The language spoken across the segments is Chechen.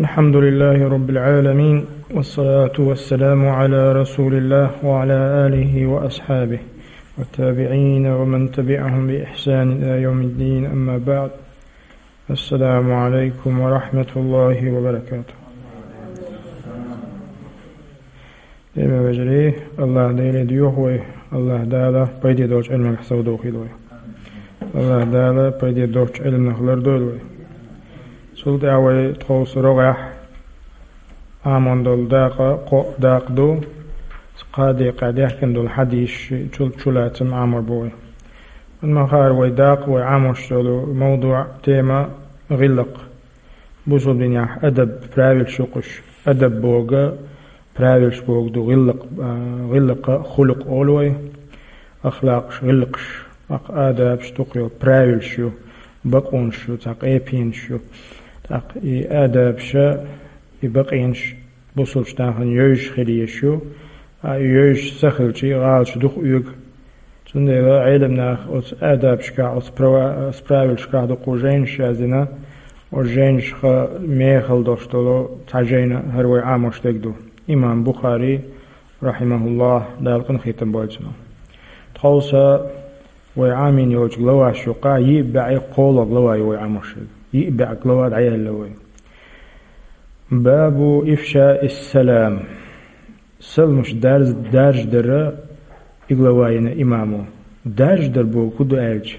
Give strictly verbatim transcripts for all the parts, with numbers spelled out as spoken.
الحمد لله رب العالمين، والصلاة والسلام على رسول الله وعلى آله وأصحابه والتابعين ومن تبعهم بإحسان إلى يوم الدين، أما بعد. السلام عليكم ورحمة الله وبركاته. Дийна вежарий, АллахӀ Деле доьху вай, АллахӀ Дала пайде долчу Ӏилманах совдохийла вай. АллахӀ Дала пайде долчу Ӏилманах лардойла вай. Цул тӀаьхьа вай тховса рогӀехь Ӏамон долу дакъа, кхоъ дакъа ду, кхаа декъехь даьхкина долу хьадисаш чул-, чулацам Ӏамор бу вай. Амма хаар вай дакъа, вай Ӏамош йолу мавдуъ, тема гӀиллакх. Бусулба динехь адаб, правилаш ю кхуш. Адаб бохург, правилаш бохург ду, гӀиллакх, а, гӀиллакха хулукъ олу вай. Ахлакъаш, гӀиллакхаш, акха адабаш дукха йолу правилаш ю, бакъонаш ю, цхьа къепенаш ю. ТӀаккха и адабаша, и бакъонаш бусулбачу нахана йовзаш хила езаш ю, а, и йовзаш ца хилча, гӀалаташ дукха оьгу. Цундела Ӏелам наха оцу адабашкахь, оцу права-, оцу правилашкахь дукха жайнаш яздина, оцу жайнашха мехала долуш долу цхьа жайна хӀара вай Ӏамош дерг ду. Имам Бухари, рахьимахуллахӀ, Дала къинхетам бойла цунах. Тховса вай Ӏамийна йолчу главаш юкъахь йиъ бӀе кхоалгӀа глава ю вай Ӏамош дерг. Йиъ бӀе глава дӀаяьлла вай. Бабу ифшаис салам. Саламаш дарж-, даржадара и глава йина имамо. Даржадар бохург хӀун ду аьлча,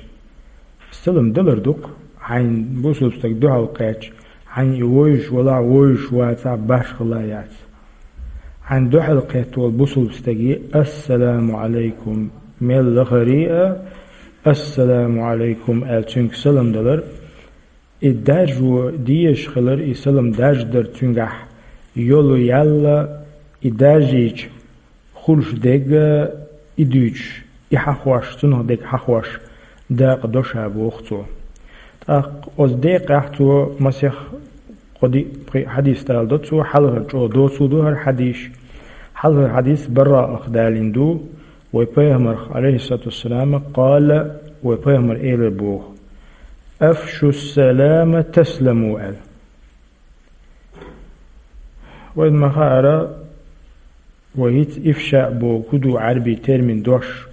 салам далар ду-кх, хьайн бусулба стаг дуьхьал кхаьчча, хьайн и вовзаш валахь, вовзаш вацахь, башхалла яц. Хьайн дуьхьал кхетта волу бусулба стаге «Ассаламу Ӏалайкум», мел лахара а «Ассаламу Ӏалайкум» аьлла, цуьнга салам далар. И даржо дезаш хилар, и салам даржадар цуьнгахь йолу ял, и даржийча хуьлуш дерг, и дуьйцуш, и хьахош, цунах дерг хьахош, дакъа до ша, боху цо. ТӀаккха оцу декъехь цо масех кхо-диъ-пхиъ хьадис даладо цо, хьалхара чӀогӀа доцу ду хӀара хьадис. Хьалхара хьадис Бараах далийна ду, вай Пайхамарх, Ӏалайхиссалату вассалам, къала, вай Пайхамар элира боху: «Афшу салама тасламу», аьлла. Вайна ма-хаъара, вай хӀинца ифша бохург хӀун ду, Ӏаьрбийн термин дош,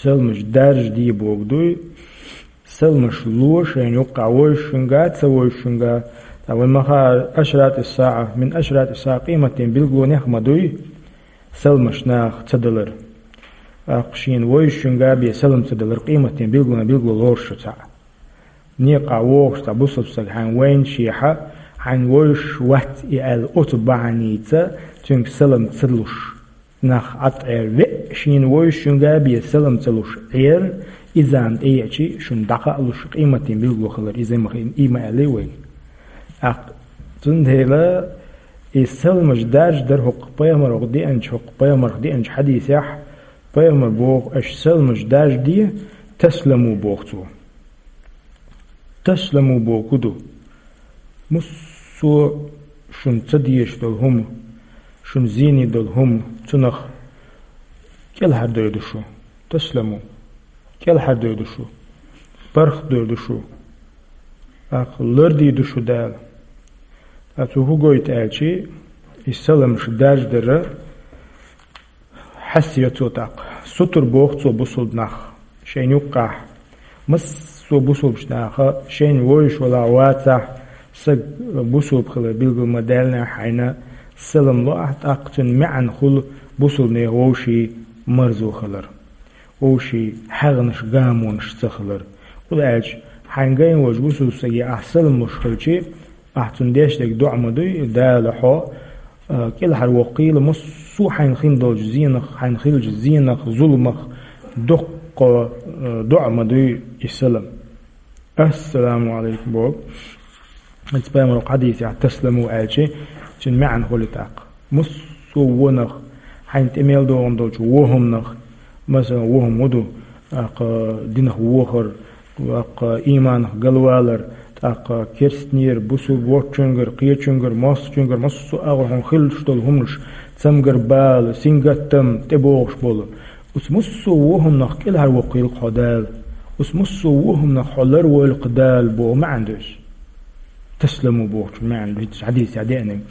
саламаш даржаде бохург дуй, саламаш ло шайна юккъахь вовзуш хӀуьнга, ца вовзуш хӀуьнга. Ткъа вайна ма-хаъара, ашратис-саӀа, мин ашратис-саӀа, къематден билгалонех ма дуй саламаш наха ца далар. ТӀаккха шена вовзуш хӀуьнга бен салам ца далар къематден билгалонех билгало лоруш ю цхьаъ. Некъахь вогӀуш цхьа бусалба стаг хьайна вайнашехь, хьайна вовзуш вац и аьлла, оцу бахьаница цуьнга салам ца луш, нах Ӏад Ӏер веа, шена вовзуш хӀуьнга бен салам ца луш Ӏер, и зама тӀееачи, шуна дӀакхаалуш, къематден билгало хилар иза ма хи-, и ма аьллий вайна. ТӀаккха цундела и саламаш даржадар хӀокху Пайхамарх деанчу, хӀокху Пайхамарх деанчу хьадисехь, Пайхамар боху: «Аша саламаш даржаде, тасламу», боху цо. Тасламу бохург хӀун ду? Массо а шуна ца дезаш долу хӀума, шуна зене долу хӀума, цунах кӀелхьардойду шу. Тасламу. КӀелхьардойду шу. ПаргӀатдойду шу. ТӀаккха лардийду шу Дала. Ткъа цо хӀун гойту аьлчи, и саламаш даржадара хьаьсса йо цо тӀаккха. Сутара боху цо бусалба нах шайна юккъахь. Массо а бусалбачу наха шайна вовзуш валахь, вацахь, саг бусалба хилар билгал ма даьллинехь хьайна, салам ло ахь, тӀаккха цуьнан маьӀна хуьлу бусалба нехан вовшийн марзо хилар, вовшийн хьагӀнаш, гамонаш ца хилар. ХӀунда аьлча хьайна гайна волчу бусалба стаге ахь салам луш хилчи, ахь цунна деш дерг доӀа ма дуй, Дала хьо, а, кӀелхьарвоккхийла массо а хьайна хин долчу зенах, хьайна хиллачу зенах, зуламах, доккха, а, доӀа ма дуй и салам. «Ассаламу Ӏалайкум», боху. Иза Пайхамаран хьадисехь «тасламу» аьлчи, цуьнан маьӀна хуьлу тӀаккха. Массо а вонах, хьайна тӀе мел догӀун долчу вон хӀуманах, масалан, вон хӀума хӀун ду, тӀаккха динах вохар, тӀаккха ийманах галвалар, тӀаккха керстанера, бусалба воцчуьнгара, кхечуьнгара, мостагӀчуьнгара, массо а агӀор хьуна хиллаш долу хӀуманаш, цамгар бала, сингаттам, тӀебогӀуш болу. Оцу массо а вон хӀуманах кӀелхьарвоккхийла хьо Дала. Оцу массо а вон хӀуманах хьо ларвойла-кх Дала боху маьӀна ду иза. «Таслиму» бохучун маьӀна ду хӀинца хьадисехь деанарг.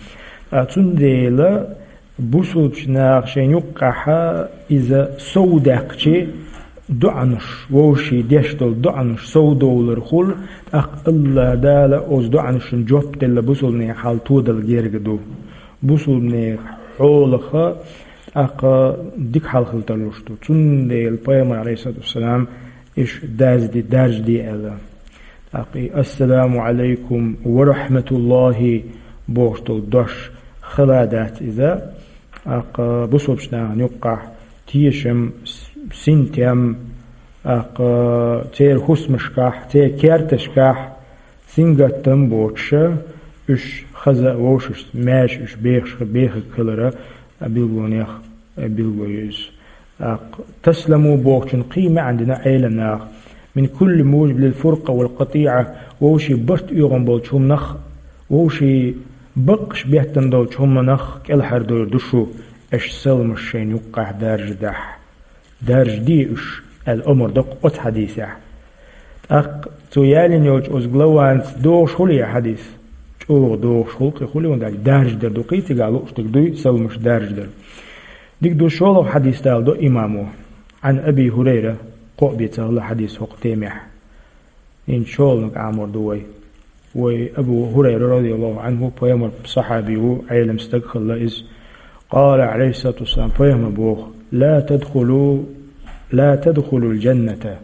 А цундела бусулбачу наха шайн юккъехь иза сов даьккхича, доӀанаш, вовшийн деш долу доӀанаш сов довлар хуьлу, тӀаккха АллахӀ Дала оцу доӀанашна жоп делла бусулбанийн хьал тодала герга ду. Бусулбанийн хьолаха тӀаккха дика хьал хила тарлуш ду. Цундела Пайхамар, Ӏалайхиссалату вассалам, иштта дазде, даржаде аьлла. ТӀаккха и «Ассаламу Ӏалайкум ва рахьматуллахӀи» бохуш долу дош хала дац иза. ТӀаккха бусулбачу нахана юккъехь тешам, с-, синтем, тӀаккха церан хӀусамашкахь, церан керташкахь сингаттам боцуша, уьш хаза а вовшашца маьрша уьш бехаш, бехарг хилара билгалонех билгало ю иза. ТӀаккха «таслиму» бохучун кхин маьӀна дина Ӏеламнаха: «Мин кулли мужибин лил фуркъа вал къатӀиӀа», вовшийн барт оьгӀан болчу хӀуманах, вовшийн баккъаш беттан долчу хӀуманах кӀелхьардойр ду шу, аша саламаш шайна юккъехь даржадахь. Даржаде уьш, аьлла омра доккху оцу хьадисехь. ТӀаккха цо ялийна йолчу оцу главанца догӀуш хуьлу и хьадис? ЧӀогӀа догӀуш хуьлу, кхин хуьлу хӀунда аьлча даржадар ду, кхин цигахь лууш дерг дуй, саламаш даржадар. Дика ду, шолгӀа хьадис даладо имамо. Ӏан Аби ХӀурайра, кхоъ бен ца хилла хьадис хӀокху темехь. ХӀинца шолгӀаниг Ӏамор ду вай. Вай Абу ХӀурайра, радияллаху Ӏанху, пайхамар сахьаби ву, Ӏелам стаг хилла иза. Къала, Ӏалайхиссалату вассалам, пайхамар боху: «Ла тадхулу, ла тадхулул джанната».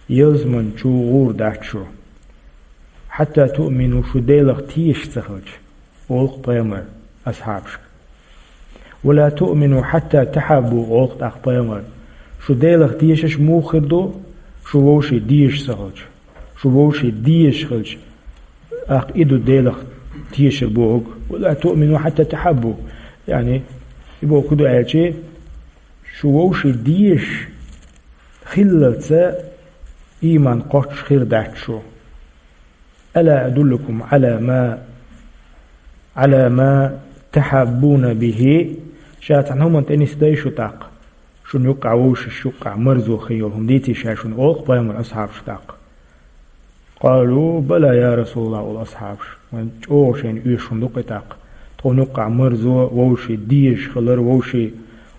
Ялсамани чу гӀур дац шу. «Хьатта туъмину», шу Делах тешаш ца хилча, олу-кх пайхамар асхьабашка. «Ва ла туъмину хьатта тахьаббу», олу-кх тӀаккха пайхамар. Шу Делах тешаш муха хир ду, шу вовшийн дезаш ца хилча? Шу вовшийн дезаш хилча, тӀаккха и ду Делах тешар бохург. «Ва ла туъмину хьатта тахьаббу». Яъни, и бохург хӀун ду аьлча, шу вовшийн дезаш хиллалца ийман кхоччуш хир дац шу. «Ала адуллукум Ӏала ма, Ӏала ма тахьаббуна бихӀи?» Ша цхьана хӀуманна тӀе нисдай шу тӀаккха? Шуна юккъехь вовшашна юккъехь марзо хир йолу хӀума дийций ша шуна, олу-кх пайхамар асхьабашка тӀаккха. «Къалу, бала, я Расулаллах», олу асхьабаша. Вайн чӀогӀа шайна оьшуш хӀума ду-кх и тӀаккха. Тхуна юккъехь марзо, вовшийн дезаш хилар, вовшийн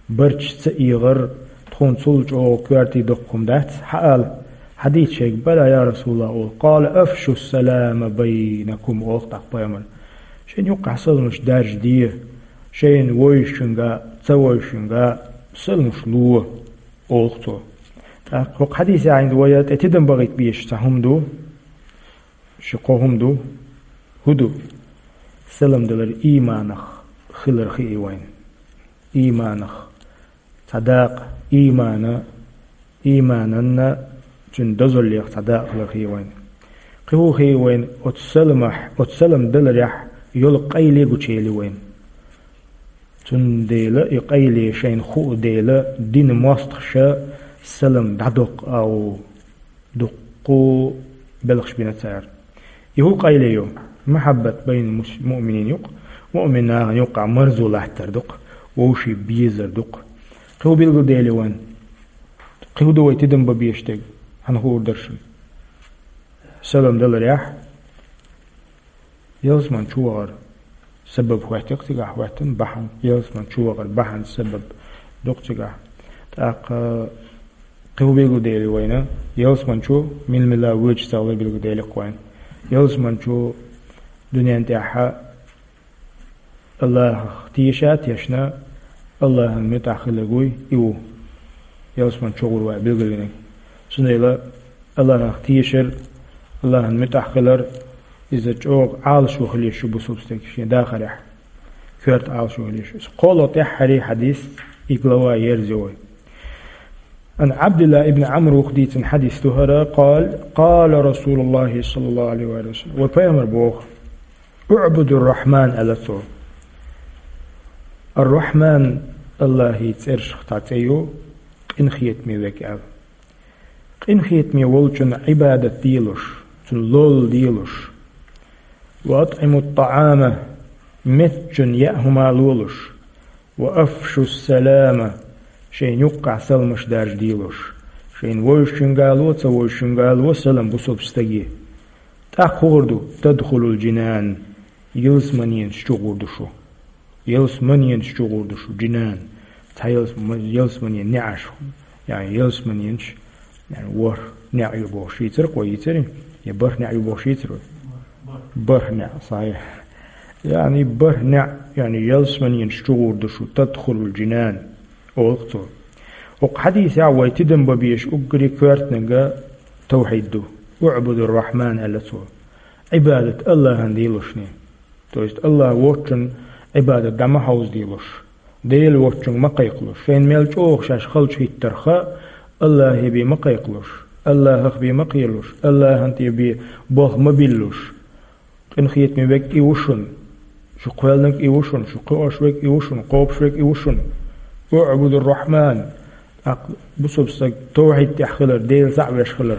барт чу ца эгӀар, тхуна цул чӀогӀа коьртий доккха хӀума дац, хьаала, хьадийца шайга, бала, я Расулаллах, олу. Къала: «Афшу салама байнакум», олу-кх тӀаккха пайхамар. Шайна юккъехь саламаш даржаде, шайна вовшашка, ца вовшашка саламаш ло, олу-кх цо. ТӀаккха хӀокху хьадисехь хӀинца вайна тӀе тидам бахийта безаш цхьа хӀума ду, ши-кхо хӀума ду. ХӀун ду? Салам далар ийманах хилар хии вайна. Ийманах цхьа дакъа, иймана, иймананна цуьнан дозаллех цхьа дакъа хилар хии вайна. Кхин хӀун хии вайна? Оцу саламахь, оцу салам даларехь йолу къайле гучуели вайна. Цундела и къайле шайна хуу дела, динан мостагӀаша салам дӀадоккху агӀо. Дуккху белхаш бина цара. И хӀун къайле ю? Махьаббат байна мус-, муъминин ю-кх, муъмин нахана юккъехь марзо латтар ду-кх, вовшийн безар ду-кх. Кхин хӀун билгалдели вайна? Кхин хӀун ду вай тидам бан безаш дерг? Хьан хуур дара шуна? Салам даларехь, ялсамани чу вахар сабаб хӀоьттира-кх цигахь, хӀоьттина бахьана, ялсамани чу вахар бахьана, сабаб ду-кх цигахь. ТӀаккха кхин хӀун билгалдели вайна? Ялсамани чу мила-мила воьдуш ца хилар билгалдели-кх вайна. Ялсамани чу дуьнен тӀехь Аллахьах теша а тешна, Аллахьан муьтӀахь хиларг вуй и ву ялсамани чу гӀур вай билгалвинарг. Цундела Аллахьах тешар, Аллахьан муьтӀахь хилар, иза чӀогӀа Ӏалашо хила еза шу бусулба стаг шен дахарехь. Коьрта Ӏалашо хила еза шу. Иза кхоалгӀа тӀаьххьара хьадис, и глава ерзайо вай. Ан Ӏабдилла ибн Ӏамр ву-кх дийцина хьадис ду хӀара, къала, къала Расулуллахи саллаллаху Ӏалайхи ва саллам. Вай пайхамар боху: «УӀбудур-Рахьман», аьлла цо. Ар-Рахьман, Аллахьан цӀерашах цхьа цӀе ю, къинхетаме верг аьлла. Къинхетаме волчунна Ӏибадат делуш, цунна лолла делуш. «Ва атӀимут-тӀаӀама», меттачунна яа хӀума лолуш. «Ва афшус-салама», шайна юккъехь саламаш даржаделуш. Шайна вовшашка а ло, ца вовшашка а ло салам бусулба стаге. ТӀаккха хӀун гӀур ду? تدخل الجنان. Ялсаманенаш чу гӀур ду шу. Ялсаманенаш чу гӀур ду шу, джинан. Цхьа ялс-, ма-, ялсаманен неӀаш. Яъни ялсаманенаш, яъни ворхӀ неӀ ю бохуш йийцар, кхо йийцар, я бархӀ неӀ ю бохуш йийцар вай? БархӀ неӀ, сахьихь. Яъни бархӀ неӀ, яъни ялсаманенаш чу гӀур ду шу, تدخل الجنان, олу цо. ХӀокху хьадисехь вай тидам бан безаш уггаре коьртаниг тавхьид ду. اعبدوا الرحمن аьлла цо. Ӏибадат АллахӀан делошне. То есть АллахӀ воцчун Ӏибадат дӀа ма хьовзадалуш, Дела воцчуьнга ма кхайкхалуш, шайна мел чӀогӀа шаьш халчу хӀиттарх а, АллахӀе бен ма кхайкхалуш, АллахӀах бен ма кхералуш, АллахӀан тӀе бен болх ма биллалуш. Къинхетаме верг и ву шуна, шу кхоьллинарг и ву шуна, шу кхоьуш верг и ву шуна, кхобуш верг и ву шуна. اعبدوا الرحمن. ТӀаккха бусалба стаг тавхьид тӀехь хилар, Дела цхьаъ веш хилар,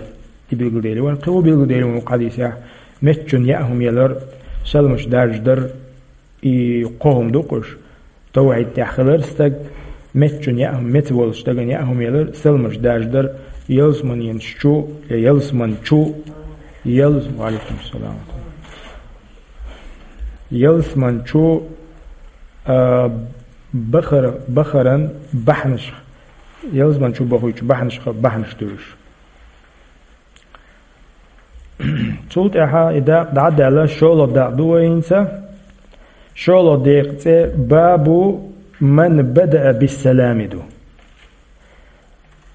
и билгалдели вайн, кхин а билгалдели вайн ву хьадисехь, меттачунна яа хӀума ялар, саламаш даржадар, и кхо хӀума ду-кх уьш. Тавхьид тӀехь хилар стаг, меттачунна яа хӀума, меца волчу стагана яа хӀума ялар, саламаш даржадар, ялсаманенаш чу, я ялсаман чу, ялс-, ва алейкум салам. Ялсаман чу, а, бахар-, бахаран бахьанаш, ялсаман чу бахуьйту бахьанашха бахьанаш ду уьш. Цул тӀаьхьа и дакъа дӀа а даьлла, шолгӀа дакъа ду вай хӀинца. ШолгӀа декъан цӀе «Бабу ман бадаа биссалами» ду.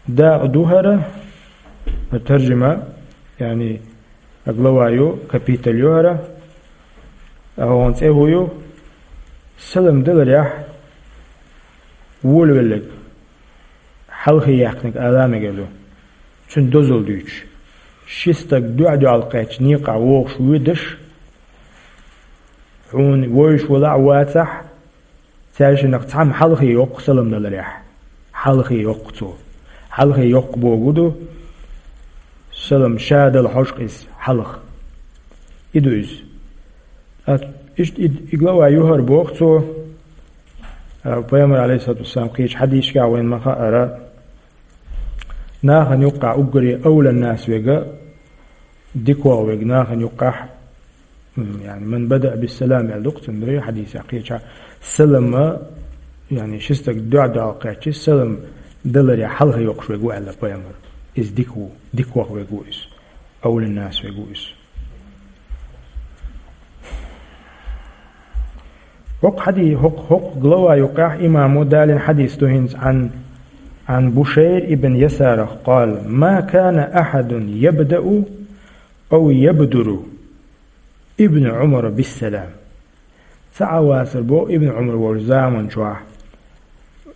Дакъа ду хӀара, таржима, яъни глава ю, капитал ю хӀара, а хӀокхуьнан цӀе хӀун ю? Салам даларехь волавелларг, хьалхе яьккхинарг ала мегар ду. Цуьнан дозалла дуьйцуш. Ши стаг дуьхь-дуьхьал кхаьчча некъахь вогӀуш воьдуш, хьуна вевзаш валахь а, вацахь а, цаьршиннах цхьамма хьалхе йоккху салам даларехь. Хьалхе йоккху цо. Хьалхе йоккху бохург ду, салам ша дала хьожу-кх иза хьалха. И ду иза. Ткъа иштта и, и глава ю хӀара боху цо, а, Пайхамар, алейхиссалату вассалам, кхечу хьадисашкахь вайна ма-хаъара, нахана юккъахь уггаре авлан нас верг, дикох верг нахана юккъахь, м, яъни, «Ман бадаа биссалам» аьлла ду-кх цуьнан дуьхьа хьадисехь кхечахь, салам, яъни, ши стаг дуьхь-дуьхьал кхаьчча, салам даларехь хьалхе йоккхуш верг ву аьлла Пайхамар. Иза дика ву, дикох верг ву иза. Авлан нас верг ву иза. ХӀокху хьади-, хӀокху, хӀокху глава юккъехь имамо далийна хьадис ду хӀинца Ӏан, Ӏан Бушайр ибн Ясарах, къала: «Ма кана ахьадун ябдау ау ябдуру Ибн Ӏумара биссалам». Ца Ӏа вацара боху Ибн Ӏумар волчу заман чохь,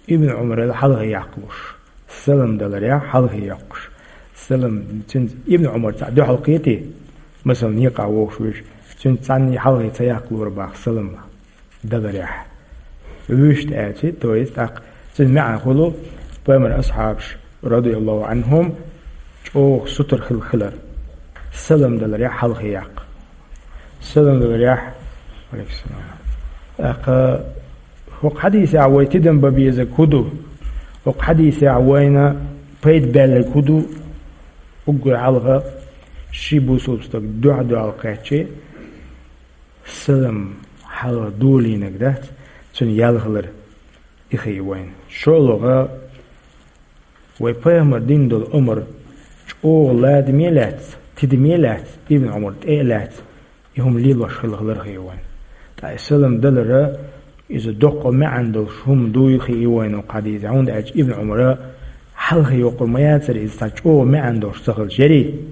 Ибн Ӏумарал хьалхе яккхалуш, салам даларехь хьалхе йоккхуш. Салам, цуьнца Ибн Ӏумар цхьаъ дуьхьал кхетий, масала, некъахь вогӀуш вуьйш, цуьнца цхьанна хьалхе ца яккхалора боху салам даларехь. Вуьйш аьлча, то есть, тӀаккха цуьнан маьӀна хуьлу, Пайхамар асхьабаш, радияллаху Ӏанхум, чӀогӀа сутара хила хилар. Салам даларехь хьалхе яккха. Салам даларехь. Алейкум салам. ТӀаккха хӀокху хьадисехь вай тидам бан безарг хӀун ду? ХӀокху хьадисехь вайна пайда баьлларг хӀун ду? Уггар хьалха ши бусалба стаг дуьхь-дуьхьал кхаьчча, салам хьалха долийнарг дац, цуьнан ял хилар и хии вайна. ШолгӀа, вай Пайхамар дина долу омра чӀогӀа ладаме а лаьцна, тидаме а лаьцна, Ибн Ӏумар тӀе а лаьцна, и хӀума лелош хила хилар хии вайна. Ткъа и салам далар, иза доккха маьӀна долуш хӀума дуй хии вайна хӀокху хьадисехь, хӀунда аьлча Ибн Ӏумара хьалхе йоккхур ма яцара иза цхьа чӀогӀа маьӀна долуш ца хилча. Ярий,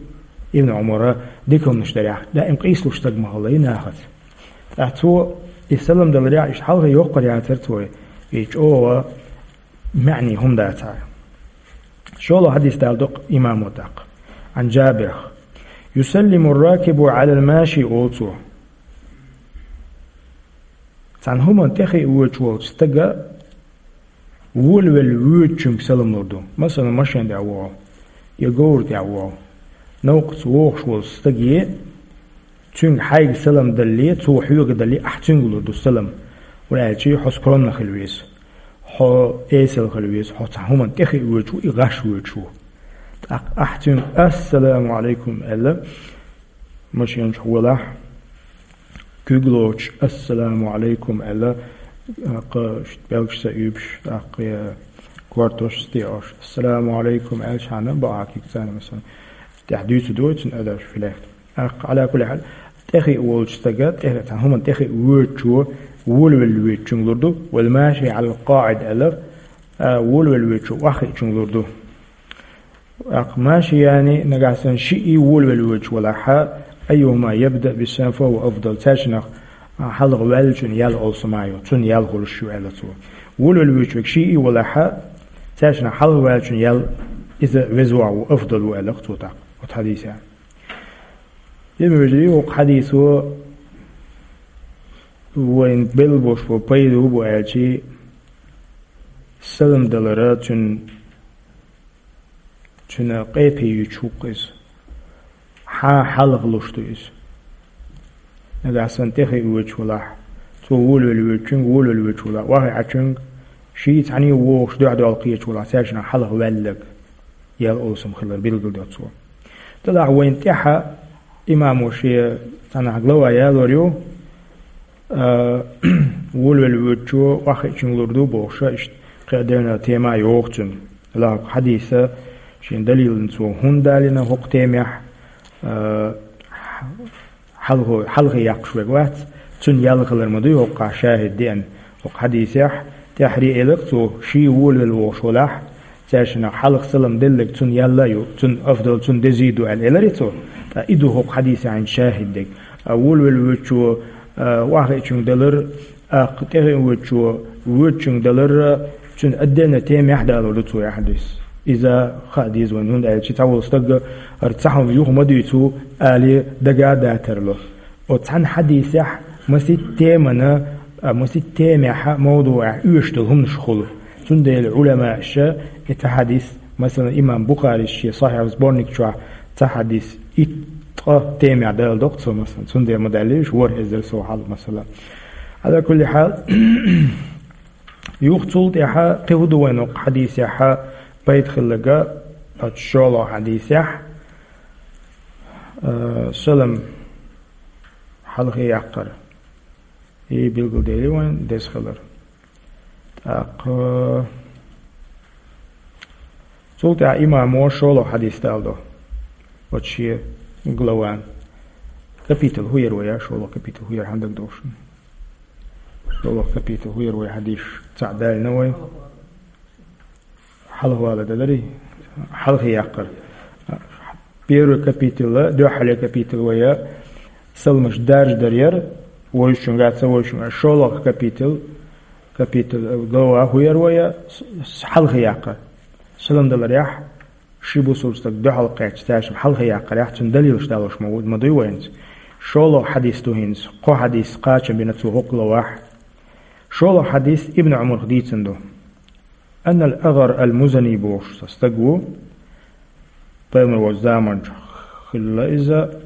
Ибн Ӏумара дика хӀуманаш дарехь даим къийсалуш стаг ма хилла и нахаца. Ткъа цо и салам даларехь иштта хьалхе йоккхур яцара цо, и чӀогӀа маьӀне хӀума дацахь. ШолгӀа хьадис даладо-кх имамо тӀаккха. Ӏан Джабирах: «Юсаллиму ракибу Ӏалал маши», олу цо. Цхьана хӀуманна тӀе хиъна воьдуш волчу стага волавелла воьдучуьнга салам лур ду. Масала, машен тӀехь вогӀу, я говра тӀехь вогӀу. Новкъаца вогӀуш волчу стаге, цуьнга хьайга салам далале, цо хьоьга далале, ахь цуьнга лур ду салам. ХӀунда аьлча хьо скромно хила веза, хьо эсала хила веза, хьо цхьана хӀуманна тӀе хиъна воьдуш ву, и гӀаш воьдуш ву. ТӀаккха ахь цуьнга: «Ассаламу Ӏалайкум», – аьлла, машенаш волахь, куьг лоцуш «Ассаламу Ӏалайкум» аьлла, тӀаккха белгаш ца уьйбуш, тӀаккха кортош стеош «Ассаламу Ӏалайкум» аьлча хьана бакъахьа куьг царна, масала, тӀехь дуьйцу дой цуьнан адабаш филехта. ТӀаккха, Ӏала кулли хьал, тӀехиъ волчу стага, тӀехиъ цхьана хӀуманна тӀехиъ воьдучо, волавелла воьдучуьнга лур ду, «Вал маши Ӏалал къаӀид» аьлла, а, волавелла воьдучо охьахиъчуьнга лур ду. ТӀаккха «машияни», нагахь санна шиъ волавелла воьдуш валахь, «айюхӀума ябдау бис-салам фахӀува афдал», цаьршинах, а, хьалха ваьллачун ял олуш ма ю, цунна ял хуьлуш ю аьлла цо. Волавелла воьдуш верг шиъ валахь, цаьршинах хьалха ваьллачун ял иза веза ву, афдал ву аьлла цо тӀаккха оцу хьадисехь. Динан вежарий, оцу хьадисо вайна белла болуш болу пайда хӀун бу аьлча, салам далара цуьнан, цуьнан къепе юьйцуш ву-кх иза. Хьан хьалха луш ду иза? Нагахь санна тӀехиъ воьдуш валахь, цо волавелла воьдучуьнга, волавелла воьдуш валахь, охьахиъчуьнга, шиъ цхьаьна вогӀуш дуьхьал-дуьхьал кхеташ валахь, цаьршинах хьалха ваьлларг ял олуш хилар билгалдо цо. Делахь вайна тӀаьхьа имамо шен цхьанхьа глава ялор ю, а, волавелла воьдучо охьахиъчуьнга лур ду бохуш, иштта кхин а дернан тема йогӀу цуьнан. Делахь хӀокху хьадиса шен далилна цо хӀунда далийна хӀокху темехь, а, хьалхо-, хьалхе яккхаш верг вац, цунна ял хилар ма дуй хӀокхахь шахӀид деана. ХӀокху хьадисехь тӀаьххьара элира цо, шиъ волавелла вогӀуш валахь, цаьршинах хьалха салам делларг цунна ял а ю, цунна афдал, цунна деза ду аьлла элира цо. Ткъа и ду хӀокху хьадисехь шахӀид дерг. А, волавелла воьдучо, а, охьахиъчуьнга далар, тӀехиъ воьдучо воьдучуьнга далар, цуьнан отдельно темехь далор ду цо и хьадис. Иза хаа деза вайна, хӀунда аьлча цхьаволу стага хӀара цхьа хӀума юха ма дуьйцу алий дага а дацара. Оцу цхьана хьадисехь масийтта темана, а, масийтта темехь, мавдуӀехь оьшуш долу хӀуманаш хуьлу. Цундела Ӏуламаша и цхьа хьадис, масала, имам Бухарис шен Сахьихь сборник чохь цхьа хьадис итт-ткъа темехь даладо-кх цо, масала. Цундела ма даллийша ворхӀ эзар сов хьалха, масала. Ӏала кулли хьал, юха цул тӀаьхьа кхин хӀун ду вайна хӀокху хьадисехь пайда хилларг, оцу шолгӀа хьадисехь, а, салам хьалхе яккхар. И билгалдели вайн деза хилар. ТӀаккха цул тӀаьхьа имамо шолгӀа хьадис даладо. Оцу шен главан. Капитал хӀун яра вай, шолгӀа капитал хӀун яра хьан дагадогӀуш? ШолгӀа капитал хӀун яра вай, хьадисаш цхьаъ далийна вай? Хьалхавала даларий? Хьалхе яккхар. Первый капитал, дуьххьарлера капитал вай саламаш даржадар яра, вовшашка а, ца вовшашка а. ШолгӀа капитал, капитал, глава хӀун яра вай, с-, с-, хьалхе яккхар. Салам даларехь, ши бусалба стаг дуьхьал кхаьчча, цаьршимма хьалхе яккхарехь, цуьнан далилаш далош ма ву, ма дуй вайна. ШолгӀа хьадис ду хӀинца, кхо хьадис кхачам бина цо хӀокху главахь. ШолгӀа хьадис Ибн Ӏумарх дийцина ду. Аннал АгӀар ал-Музани бохуш цхьа стаг ву, пайхамар волчу заманчохь хилла иза,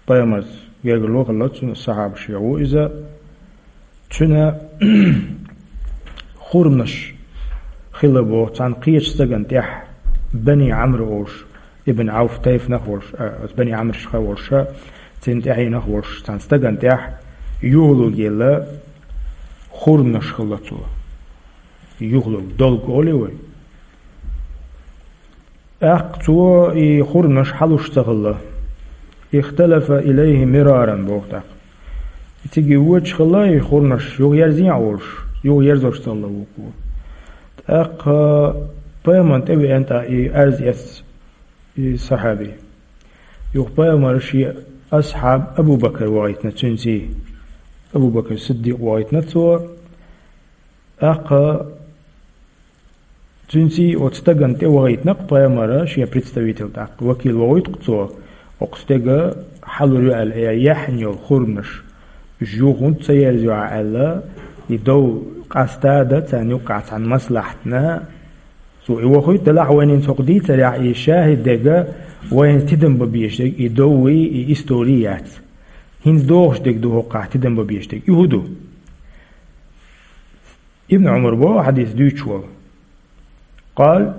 пайхамарца гергарло хилла цуьнан, сахьабашех ву иза. Цуьнан хурманаш хилла боху цхьана кхечу стагана тӀехь, Бани Ӏамр олуш, Ибн Ӏавф тайфанах волуш, а, Бани Ӏамрашха волуш, цуьнан тӀаьхьенах волуш, цхьана стагана тӀехь юхалург елла хурманаш хилла цо. Юхалург, долг олий вай. ТӀаккха цо и хурманаш хьалуш ца хилла. Ихталафа илайхи мираран боху тӀаккха. И цига воьдуш хилла, и хурманаш юха ерзийна а волуш, юха ерзош ца хилла вукхо. ТӀаккха пайхамарна тӀе веана тӀаккха и арз эцна и сахьаби. Юха пайхамара шен асхьаб Абу Бакр вахийтина цуьнций. Абу Бакр Сиддикъ вахийтина цо. ТӀаккха цуьнций оцу стагана тӀе вахийтина-кх пайхамара шен представитель, тӀаккха вакил вахийту-кх цо, оцу стеган хьалур ю аьлла, яьхьна йолу хурманаш, уьш юха хӀунда ца ерзайо аьлла, и дов къаста а дан царна юккъехь цхьана маслахьатна, цо и вахийту. Делахь вайна хӀинца хӀокху дийцарехь и шахӀид дерг, вайна тидам бан безаш дерг и дов, и истори яц. ХӀинца догӀуш дерг ду хӀокхахь тидам бан безаш дерг. И хӀун ду? Ибн Ӏумар боху хьадис дуьйцуш волу. Къала: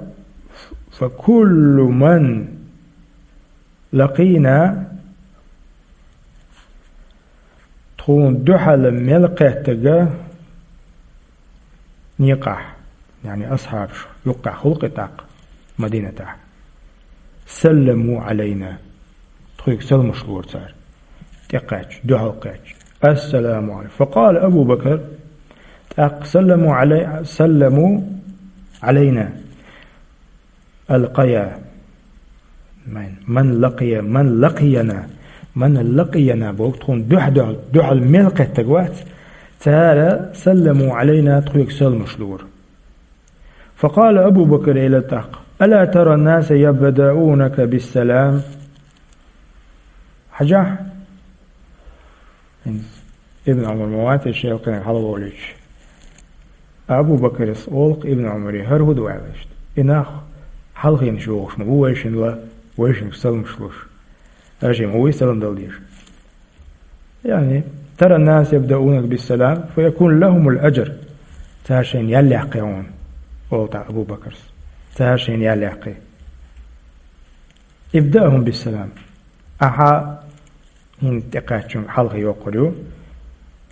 «Фа куллу ман лакъийна Тхуна дуьхьал мел кхеттага некъахь, яъни асхьабаш юккъехь хӀуллакх тӀаккха Мадинатехь. Салламу Ӏалайна. Тхоьга саламаш лора цара. ТӀекхаьчча, дуьхьал кхаьчча. Ассаламу Ӏалайкум. Факъала Абу Бакр. ТӀаккха салламу Ӏалай-, салламу Ӏалайна. Алкъая. Ман, ман лакъия, ман лакъияна. Ман лакъияна боху тхуна дуьхьа-, дуьхьал, дуьхьал мел кхеттаг вац. Цара салламу Ӏалайна тхоьга саламаш лора. Факъала Абу Бакр элира тӀаккха. Ала тара наса ябдаунака биссалам. Хьажахь. ХӀинца Ибн Ӏумар ма вац шен кхинах хьалаволуьйтуш. Абу Бакрас олу-кх Ибн Ӏумаре, хӀара хӀун ду аьлла иштта. И нах хьалхенаш йохуш ма бу вайшинна, вайшинга саламаш луш. Аша ма вуй салам дала дезаш. Яъни, тара наса ябдаунака биссалам, фаякуну лахумул аджр. Цара шайна ял яккхий хьуна, олу тӀаккха Абу Бакрас. Цара шайна ял яккхий. Ибдаъхум биссалам. Ахьа хӀинца тӀекхаьччунга хьалхе йоккхур ю,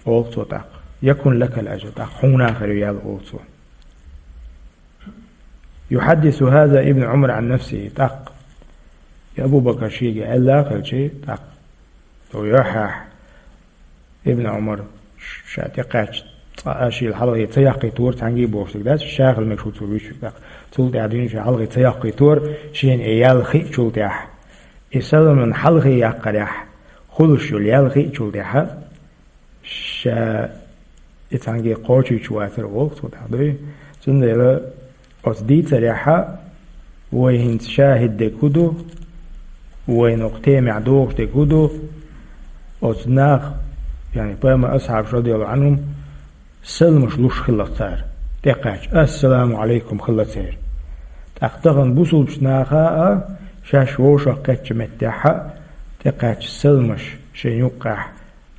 олу цо тӀаккха. Якун лакал аджр, тӀаккха хьуна а хир ю ял, олу цо. Юхьаддису хаза Ибн Ӏумар Ӏан нафсихи, тӀаккха. И Абу Бакр шега аьлла а хилчи, тӀаккха. Цо йохьахь. Ибн Ӏумар ша тӀекхаьчча, цкъа а шийла хьалхе ца яккхийтора цхьаьнгге бохуш дерг дац, ша хила мегаш ву цо вуьйцург тӀаккха. Цул тӀаьхьа дуьйна ша хьалхе ца яккхийтора, шена и ял хиъчул тӀаьхьа. И саламан хьалхе яккхарехь, хуьлуш йолу ял хиъчул тӀаьхьа, ша и цхьаьнгге кхочуьйтуш вацара олу цо тӀаккха дуй. Цундела оцу дийцарехьа вай хӀинца шахӀид дерг хӀун ду, вайна хӀокху темехь догӀуш дерг хӀун ду, оцу наха, яъни пайхамар асхьабаш, радияллаху Ӏанхум, саламаш луш хилла цара. ТӀекхаьчча, ассаламу Ӏалайкум хилла церан. ТӀаккха тахана бусулбачу наха а шаьш вовшах кхаьчча меттехьа, тӀекхаьчча саламаш шайн юккъехь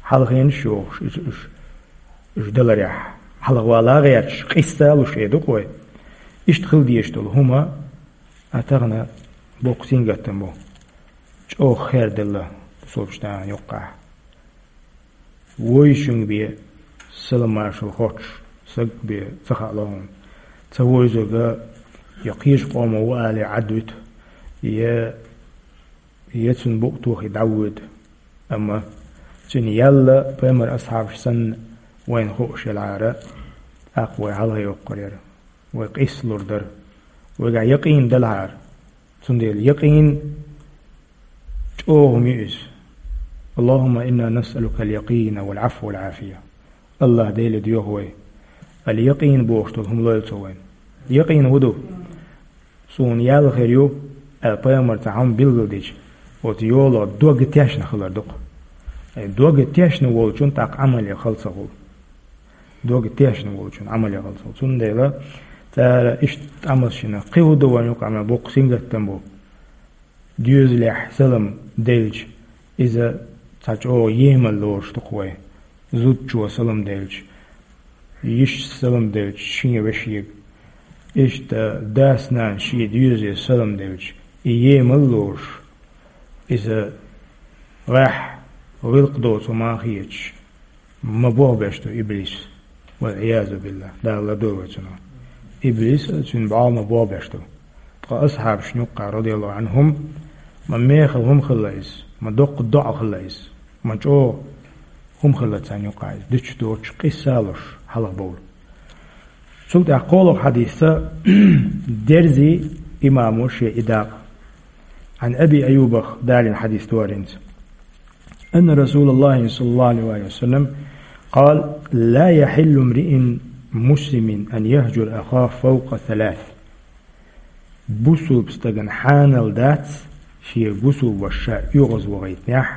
хьалхенаш йохуш, уьш, уьш, уьш даларехь, хьалхавала гӀерташ, къийса луш хир ду-кх вай. Иштта хила дезаш долу хӀума а тахана боккха сингаттам бу. ЧӀогӀа хер делла бусулбачу нахана юккъехь. Вовшашка бен салам-маршалла хоттуш стаг бен ца хаало хьуна. Цхьа вовзарг я кхечу къомо ву алий Ӏад вуьту, я, я цуьнан букъ тохий дӀавоьду. Амма цуьнан ял пайхамар асхьабаш санна вайна хууш елахьара, тӀаккха вай хьалхе йоккхур яра. Вай къийса лур дара. Вайгахь якъин делахьара. Цундела якъин чӀогӀа хӀума ю иза. Аллахумма инна насъалука ал-якъина вал-Ӏафва вал-Ӏафия. Аллах Деле доьху вай, ал-якъин бохуш долу хӀума лойла цо вайна. Якъин хӀун ду? Суна ял хир ю аьлла, пайхамара цхьа хӀума билгалдича, оцу йолах дог тешна хилар ду-кх. Э, дог тешна волчун тӀаккха Ӏамал ян хала ца хуьлу. Дог тешна волчун Ӏамал ян хала ца хуьлу. Цундела цара иштта Ӏамал шина кхин хӀун ду вайна юкъахь, амма боккха сингаттам бу. Доьзалехь салам делча, иза цхьа чӀогӀа емал лоруш ду-кх вай. Зудчо салам делча, йишас салам делча шен вешега, иштта дас-нанас шен доьзале салам делча, и емал лоруш, иза гӀеххьа гӀиллакх доцу хӀума хеташ, ма бохбеш ду иблис. Вал-Ӏиязу биллахӀ. Дала лардойла вай цунах. Иблис а, цуьнан бӀаьрг ма бохбеш ду. Ткъа асхьабашна юккъехь, радияллаху Ӏанхум, ма мехала хӀума хилла иза, ма доккха доӀа хилла иза, ма чӀогӀа хӀума хилла царна юккъехь иза, дуьтуш доцуш, къийса луш хьалхабовла. Цул тӀаьхьа кхоалгӀа хьадисца дерзий имамо шен и дакъа. Ӏан Аби Айюбах далийна хьадис ду хӀара хӀинца. أن رسول الله صلى الله عليه وسلم قال: لا يحل امرئ مسلم أن يهجر أخاه فوق ثلاث. Бусулба стагана хьанал дац шен бусулба ваша ша оьгӀазвахийтинехь,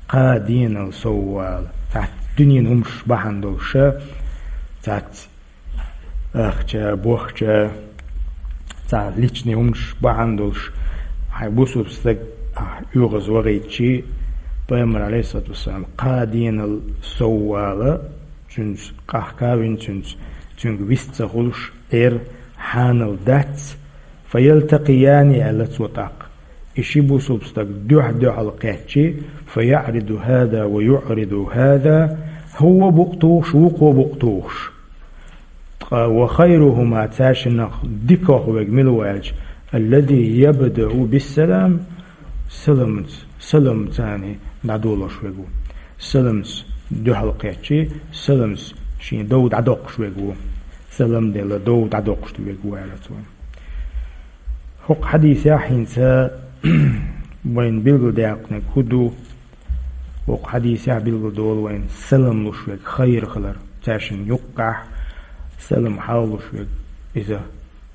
кхаа денал соввала. Цхьацца дуьненан хӀумаш бахьана долуш, цхьацца ахча, бохча, цхьа личный хӀумаш бахьана долуш, хьайн бусулба стаг ахь оьгӀазвахийтича, пайхамар, Ӏалайхиссалату вассалам, кхаа денал соввала, цуьнца къахка а вина, цуьнца, цуьнга вист ца хуьлуш, Ӏер хьанал дац, фаялтакъияни аьлла цо тӀаккха. И ши бусулба стаг дуьхь-дуьхьал кхаьччи, فيعرض هذا ويعرض هذا, хӀуо букъ тухуш, вукхо букъ тухуш. Ткъа وخيرهما, цаьршиннах дикагӀа верг мила ву аьлча, الذي يبدأ بالسلام, саламца, саламца дӀадолош верг ву. Саламца дуьхьал кхаьччи, саламца шен дов дӀадоккхуш верг ву. Салам делла дов дӀадоккхуш верг ву аьлла цо. ХӀокху хьадисехь хӀинца вайна билгалдаьккхинарг хӀун ду? ХӀокху хьадисехь билгалдолу вайна салам луш верг хайр хилар, цаьршинна юккъехь салам хьал луш верг, иза,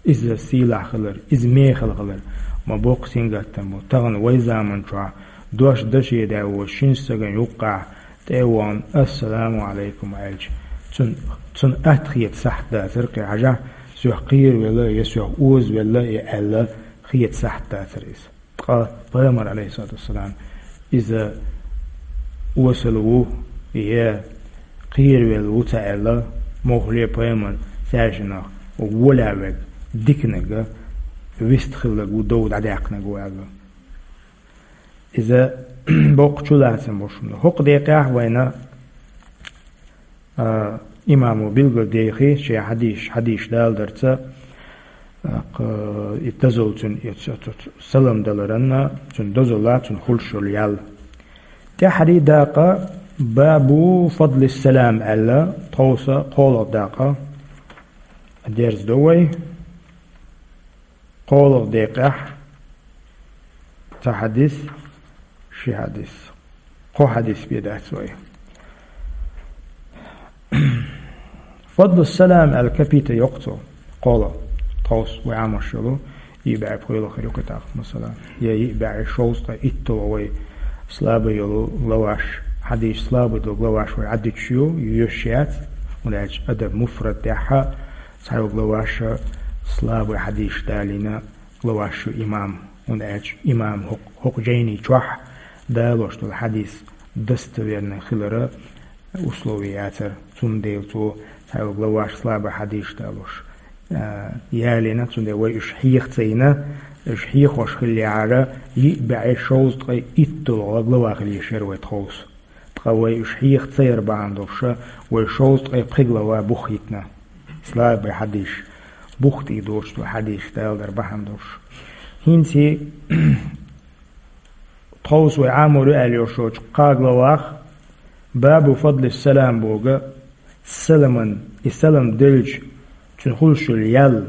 иза сийлахь хилар, иза мехала хилар. Ма боккха сингаттам бу. Тахана вай заман чохь дош даше даь волу шина стагана юккъехь тӀе а вахана, «Ассаламу Ӏалайкум» аьлча, цунна, цунна атта хета сахьт дацара кхин, хьажахь, соьх кхеравелла я соьх озавелла я аьлла, хета сахьт дацара иза. Ткъа пайхамар, алейхиссалату вассалам, иза осал ву я кхеравелла ву ца аьлла, муххале пайхамар цаьршиннах волавелларг диканиг, вист хилларг ву, дов дӀадаьккхинарг ву аьлла. Иза боккха чулацам бу шуна. ХӀокху декъехь вайна, а, имамо билгалдехи шен хьадийш, хьадийш далдарца, а, кх-, и дозалла цуьнан, и ц-, ц-, ц-, салам даларанна, цуьнан дозалла, цуьнан хуьлуш йолу ял. ТӀаьххьарий дакъа, бабу фадлис салам аьлла, тховса кхоалгӀа дакъа дерзадо вай. КхоалгӀа декъехь цхьа хьадис, ши хьадис. Кхо хьадис бен дац вай. Фадлу салам аьлла капитал йоккху цо. КхоалгӀа, тховса вай Ӏамош йолу, йиъ бӀе пхоьалгӀа хир ю кхин тӀаккха, масала, я йиъ бӀе шовзткъе итталгӀа вай слабый йолу главаш, хьадийс слабый долу главаш вай Ӏаддуьтуш ю, йоьшуш яц, хӀунда аьлча Адаб муфрад тӀехь цхьайолу главаша слабый хьадийсаш далийна главаш ю имам, хӀунда аьлча имам хӀокху, хӀокху жайни чохь далош долу хьадис достоверный хилара условие яцара, цундела цо цхьайолу главаш слабый хьадийсаш далош, а, ялийна, цундела вай уьш хьеха ца йина, уьш хьехош хиллехьара, йиъ бӀе шовзткъе итталгӀа глава хила йиш яра вай тховса. Ткъа вай уьш хьеха ца яр бахьана долуш, вай шовзткъе пхи глава бух йитина. Слабый хьадийсаш, бух тӀе доцуш долу хьадийсаш далар бахьана долуш. ХӀинца тховса вай Ӏамор ю аьлла йолчу кхаа главах, бабу фадлис салам боху, саламан, и салам делча, цуьнан хуьлуш йолу ял,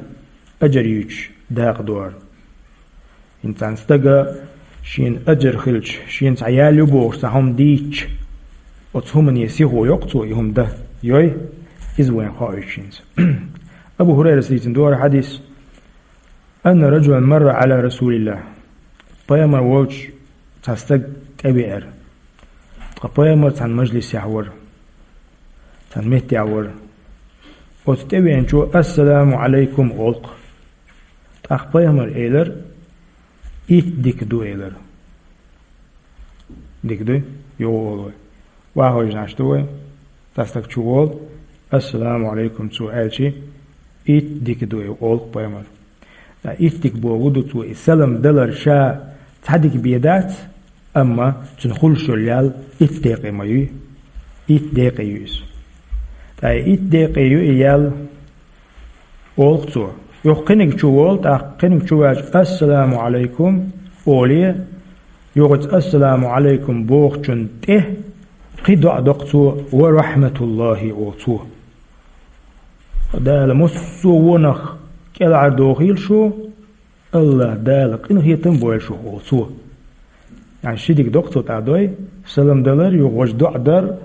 аджар юьйцуш дакъа ду хӀара. ХӀинца цхьана стага шена аджар хилча, шена цхьа ял ю бохуш цхьа хӀума дийцча, оцу хӀумане сихо йоккху цо и хӀума дан, йой, иза вайна хоуьйтуш хӀинца. Абу ХӀурайрас дийцина ду хӀара хьадис: «Анна раджулан марра Ӏала Расулиллах». Пайхамар волчу цхьа стаг тӀевеара. Ткъа пайхамар цхьана мажлисехь вара, цхьана меттехь вара. Оцу тӀевеанчо «Ассаламу Ӏалайкум» олу-кх. ТӀаккха пайхамар элира: «Итт дика ду», — элира. Дика дуй? Йо, олу вай. Вахойжнаш ду вай? Цхьа стаг чу волу, «Ассаламу Ӏалайкум» цо аьлчи, «Итт дика ду», — олу-кх пайхамар. Ткъа итт дика боху ду цо, и салам далар ша цхьа дика бен дац, амма цуьнан хуьлуш йолу ял итт декъе ма юй, итт декъе ю иза. Ткъа и итт декъе ю и ял, олу-кх цо. Юха кхиниг чу волу, тӀаккха кхиниг чу ваьлча, «Ассаламу Ӏалайкум» олий, юха оцу «Ассаламу Ӏалайкум» бохучунна тӀе кхин доӀа до-кх цо, «Ва рахьматуллахи» олу цо. Дала массо а вонах кӀелхьардохийла шу, АллахӀ Дала къинхетам а бойла шух, олу цо. Яъни ши дика до-кх цо тӀаккха дой, салам далар, юха важа доӀа дар,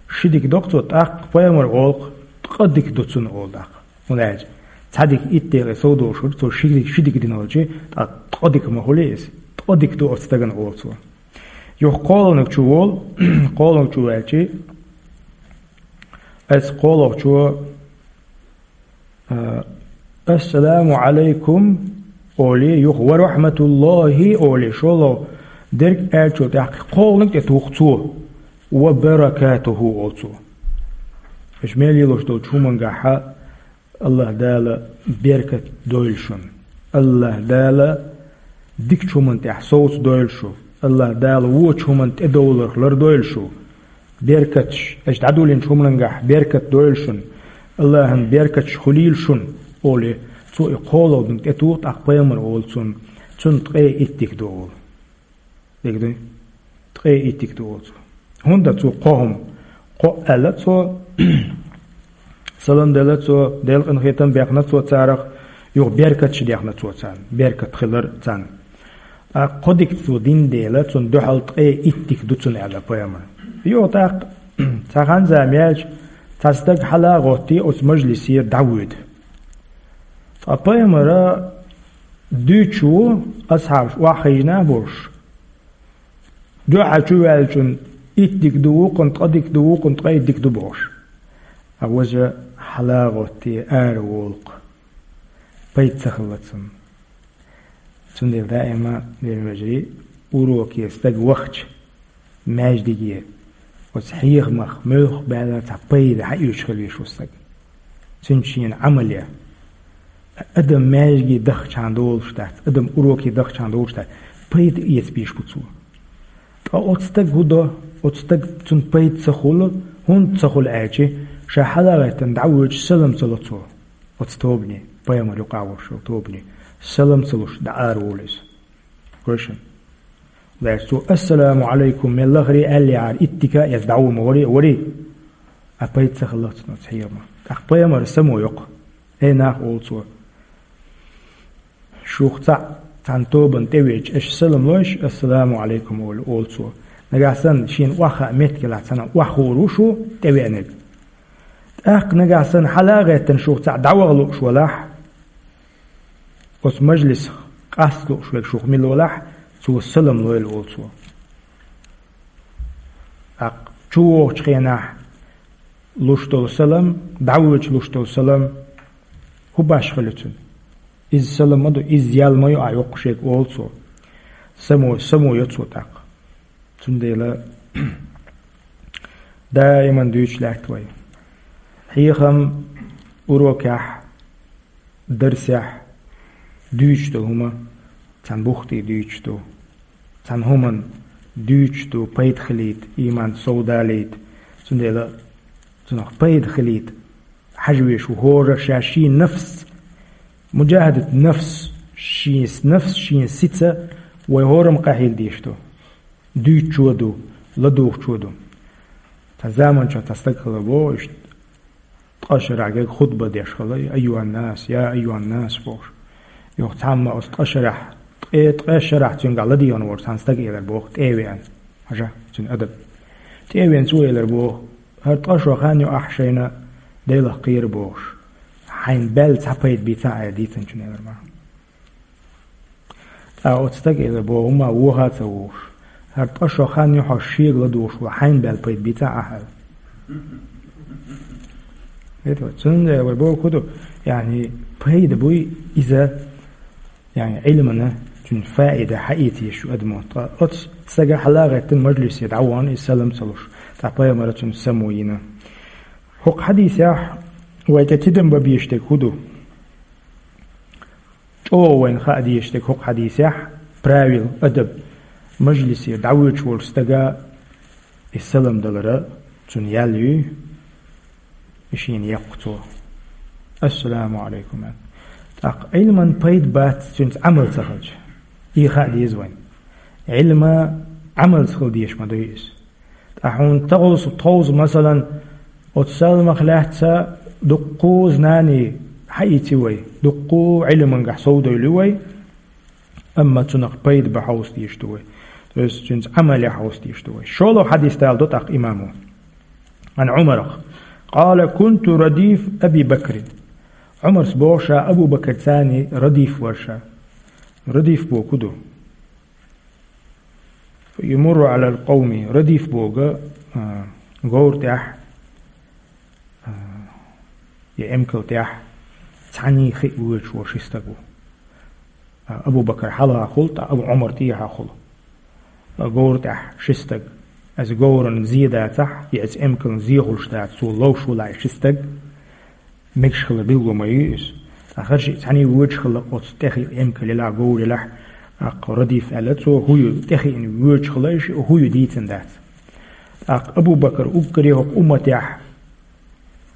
ши дика до-кх цо, тӀаккха пайхамар олу-кх, ткъа дика ду цунна, олу тӀаккха. ХӀунда аьлча цхьа дика итт декъе сов долуш хир, цо ши дика, ши дика дина волчи, тӀаккха ткъа дика ма хуьлий иза, ткъа дика ду оцу стагана, олу цо. Юха кхоалгӀаниг чу волу, кхоалгӀаниг чу ваьлчи, оцу кхоалгӀачо, а, «Ассаламу Ӏалайкум» олий, юха «Ва рахьматуллахи» олий, шолгӀа дерг аьллачул тӀаьхьа кхоалгӀаниг тӀе туху цо, «Ва баракатуху» олу цо. Аша мел лелош долчу хӀумангахьа АллахӀ Дала беркат дойла шуна. АллахӀ Дала Дикачу хӀуман тӀехь совца дойла шу. АллахӀ Дала вочу хӀуман тӀедовларх лардойла шу. Беркаташ, аша дӀадуллинчу хӀуманангахь беркат дойла шуна. АллахӀан беркаташ хуьлийла шуна, олий, цо и кхоалгӀа динга тӀетуху, тӀаккха пайхамар олу цунна, цунна ткъе итт дика ду олу. Дика дуй? Ткъе итт дика ду олу цо. ХӀунда цо кхо хӀума? Кхо аьлла цо, салам делла цо, Делан къинхетам бехна цо царах, юха беркаташ дехна цо царна, беркат хилар царна. А кхо дика цо дина дела, цунна дуьхьал ткъе итт дика ду цунна аьлла пайхамар. Юха тӀаккха цхьа хан-зама яьлча, цхьа стаг хьала а гӀоттий, оцу мажлисера дӀавоьду. Ткъа пайхамара дуьйцуш ву, асхьабаш охьахиъна а болуш, дуьхьал чу ваьллачунна итт дика ду, вукхунна ткъа дика ду, вукхунна ткъе итт дика ду бохуш. А важа хьала а гӀоттий, ара волу-кх, пайда ца хилла цунна. Цундела даима, динан вежарий, уроке стаг вахча, маьждиге, оцу хьехамах муьлхха баьлла цхьа пайда хьаоьцуш хила везаш ву стаг. Цуьнца шена Ӏамал е. Адам маьждиге дахчахьана долуш дац, адам уроке дахчахьана долуш дац, пайда эца безаш бу цо. Ткъа оцу стаг хӀун до? Оцу стаг цунна пайда ца хуьлу, хӀунда ца хуьлу аьлча, ша хьала а гӀеттина дӀавоьдуш салам ца ло цо. Оцу тобане, пайхамар юкъахь волуш йолу тобане, салам ца луш дӀа ара волу иза. Гой шуна? Лаьцна цо: «Ассаламу Ӏалайкум», мел лахаре аьлла яхьара, итт дика а эцна дӀавур ма варий, варий. А пайда ца хилла цунна оцу хьехамах. ТӀаккха пайхамара само йо-кх. Эй нах, олу цо, шух цхьаъ цхьана тобанна тӀевеача, аша салам лойша, «Ассаламу Ӏалайкум», олу, олу цо. Нагахь санна шена охьахаа меттиг елахь, цхьана охьахуур ву шу тӀевеанарг. ТӀаккха нагахь санна хьала а гӀеттина шух цхьаъ дӀаваха лууш валахь, оцу мажлисах къаста лууш верг шух мила валахь, цо салам лойла, олу цо. ТӀаккха чу вогӀучу хенахь луш долу салам, дӀавоьдуш луш долу салам, хӀун башхалла ю цуьнан? Иза салам ма ду, иза ял ма ю ахь йоккхушега, олу цо. Само, само йо цо тӀаккха. Цундела даиман дуьйцуш лаьтта вай. Хьехам урокехь, дарсехь дуьйцуш долу хӀума цхьана бухтий дуьйцуш ду, цхьана хӀуманна дуьйцуш ду, пайда хилийта, ийман совдалийта. Цундела цунах пайда хилийта хьажа везаш ву хӀора ша шен нафс, муджахадат нафс, шен нафс, шен сица вай хӀораммо къахьийла дезаш ду. Дуьйцучо а ду, ладугӀучо а ду. Цхьа заманчохь цхьа стаг хилла боху, иштта ткъа шарахь герга хутба деш хилла, «Айюхьан-нас, я айюхьан-нас», бохуш. Юха цхьамма оцу ткъа шарахь, ткъе, ткъе шарахь цуьнгахь ладегӀна волчу цхьана стага элира боху, тӀе а веана. Хьажа, цуьнан адаб. ТӀе а веана цо элира боху: «ХӀара ткъа шо хан ю ахь шайна Делах кхера», бохуш. «Хьайна баьлла цхьа пайда бийцахь», аьлла дийцинчунна элира ма. ТӀаккха оцу стага элира боху, хӀумма воха а ца вогӀуш: «ХӀара ткъа шо хан ю хьо шега ладугӀуш ву, хьайна баьлла пайда бийцахь ахь», аьлла. Цундела вай бохург хӀун ду, яъни пайда буй иза, яъни Ӏилмана цуьнан фаида хьаийца езаш ю адамо. Ткъа оцу стага хьала а гӀеттина мажлисе дӀавахана иза салам ца луш, ткъа пайхамара цунна само йина. ХӀокху хьадисехь вай тӀе тидам бан безаш дерг хӀун ду? ЧӀогӀа вайна хаа дезаш дерг хӀокху хьадисехь, правил, адаб, мажлисе дӀавоьдуш волчу стага и салам далара цунна ял юй, и шена еккху цо. «Ассаламу Ӏалайкум», аьлла. ТӀаккха Ӏилман пайда бац цуьнца Ӏамал ца хилча. И хаа деза вайна. Ӏилма Ӏамалца хила дезаш ма дуй иза. Ткъа хьуна таховза, тховза, масалан, оцу саламах лаьцна дуккха а знани хьаийци вай, дуккха а Ӏилмангахь совдойли вай, амма цунах пайда бан хьовса дезаш ду вай. То есть цуьнца Ӏамал ян хьовса дезаш ду вай. ШолгӀа хьадис даладо тӀаккха имамо. Ан Ӏумарах. Къала: «Кунту радиф Аби Бакрин». Ӏумарс боху ша Абу Бакр царний радиф вара ша. Радиф боху ду. «Ямурру Ӏалал къавми», радиф боху, а, говра тӀехь, а, я эмкал тӀехь цхьаьний хиъна воьдуш волу ши стаг ву. А, Абу Бакр хьалха хуьлу, ткъа Абу Ӏумар тӀехьа хуьлу. А, говра тӀехь ши стаг. Аса говран зе дацахь, я аса эмкалан зе хуьлуш дацахь, цо ловш валахь и ши стаг. Мегаш хилар билгало ма ю иза. Ткъа хӀара шиъ цхьаьний воьдуш хилла оцу тӀехь эмкал елахь, говр елахь, ТӀаккха Радиф аьлла цо, хӀу ю тӀехиъна воьдуш хилла, иштта хӀу ю дийцина дац. ТӀаккха Абу Бакр уггаре хӀокху умматехь,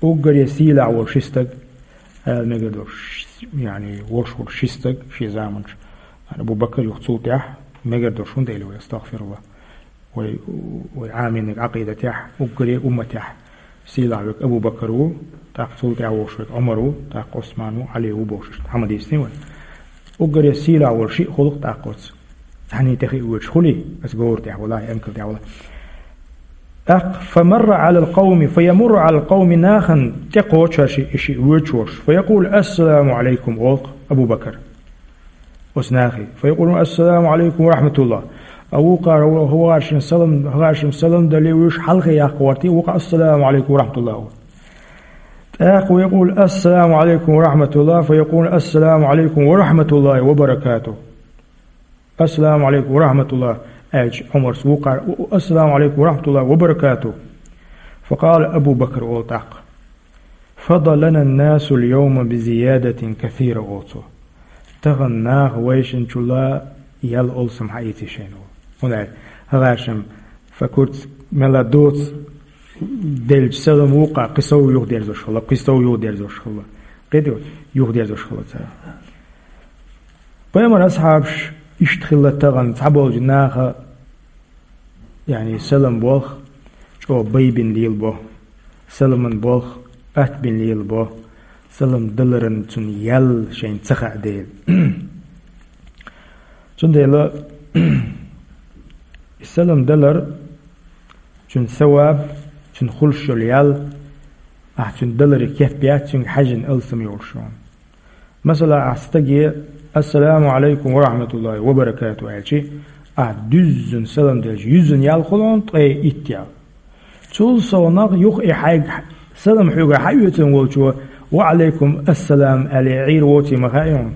уггаре сийлахь волу ши стаг, ала мегар долуш, яъни, волуш волу ши стаг шен заманчу. Абу Бакр юха цул тӀаьхьа мегар долуш, хӀунда аьлла вай, астагӀфируллахӀ, вай, вай Ӏамийниг Ӏакъидатехь, уггаре умматехь сийлахь верг Абу Бакр ву, тӀаккха цул тӀаьхьа волуш верг Ӏумар ву, тӀаккха Ӏусман ву, Ӏали ву бохуш, хӀама дийцина вай. Уггаре сийлахь волу шиъ хуьлу-кх тӀаккха оцу. Цхьаьнний тӀехиъна воьдуш хуьлий, аса говра тӀехь валахь, эмкал тӀехь валахь. ТӀаккха, фамарра Ӏалал къавми, фаямурру Ӏалал къавми, нахана тӀекхочуш шиъ, шиъ воьдуш волуш, фаякъулу: «Ассаламу Ӏалайкум», олу-кх Абу Бакр. Оцу нахе. Фаякъулу: «Ассаламу Ӏалайкум ва рахьматуллахӀ». А вукхара, ву-, вукхаршна салам, вукхаршна салам дале, вуьш хьалхе яккха гӀортий, вукху: «Ассаламу Ӏалайкум ва рахьматуллахӀ», олу. ТӀаккха ву якъулу: «Ассаламу Ӏалайкум ва рахьматуллахӀ», фаякъулу: «Ассаламу Ӏалайкум ва рахьматуллахӀи ва баракатухӀ». «Ассаламу Ӏалайкум ва рахьматуллахӀ», аьлча, Ӏумарс вукхара: «Ассаламу Ӏалайкум ва рахьматуллахӀи ва баракатухӀ». Факъала Абу Бакр, олу тӀаккха: «Фада лана ан-насу ал-явма би зиядатин касира», олу цо. Тахана наха вайшинчул ял алсам хьаийци шайна, олу. ХӀунда аьлча хӀара шайн факурц мелла доцу делча салам вукху, кхин сов юхадерзош хилла, кхин сов юхадерзош хилла. Кхин юхадерзош хилла цара. Пайхамар асхьабаш иштта хилла тахана цхьаболчу наха, яъни, салам болх чӀогӀа байбина лелабо, саламан болх атта бина лелабо, салам даларан цунна ял шайна ца хаьа дела. Цундела салам далар, цуьнан саваб, цуьнан хуьлуш йолу ял, ахь цуьнан даларе кеп яц, цуьнга хьаьжжина алсам йолуш йолу. Масала, ахь стаге: «Ассаламу Ӏалайкум ва рахьматуллахӀи ва баракатухӀ», аьлчи, ахь дуьззина салам делча, юьззина ял хуьлу хьуна, ткъе итт ял. Цул совнах юха и хьайга салам хьоьгара хьаоьцун волчо: «Ва Ӏалайкум ассалам», аьлла, Ӏийр воций ма хаьа хьуна.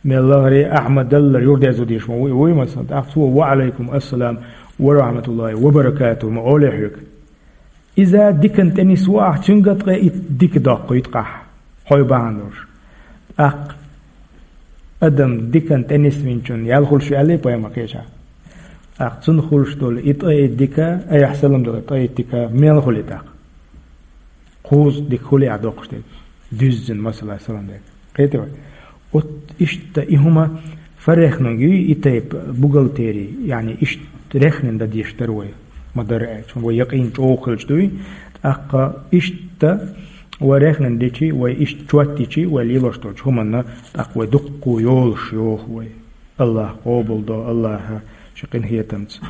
Мел лахаре ахь ма-даллара юхадерзо дезаш ма ву и, вуй, масала, тӀаккха цо: «Ва Ӏалайкум ассалам ва рахьматуллахӀи ва баракатухӀ» ма олий хьоьга. Иза дикан тӀе нисву ахь, цуьнга ткъе итт дика доккхуьйту-кх ахь, хьой бахьана долуш. ТӀаккха адам дикан тӀе нисвинчунна ял хуьлуш ю аьллий пайхамар кхечахь. ТӀаккха цунна хуьлуш долу и ткъе итт дика, айхьа салам далар ткъе итт дика, мел хуьлий тӀаккха? Кхузткъа дика хуьлий ахь доккхуш дерг, дуьззина, масала, салам дерг. Кхетий вай? Оцу иштта и хӀума фаррехнунг юй, и тайпа бухгалтери, яъни иштта рехнина дан дезаш дара вай. Ма-дарра аьлча, вай якъин чӀогӀа хилча дуй, тӀаккха иштта вай рехнина дичи, вай иштта чот йичи, вай лелош долчу хӀуманна, тӀаккха вай дуккха йолуш йоху вай. АллахӀа къобалдо, АллахӀа шен къинхетамца.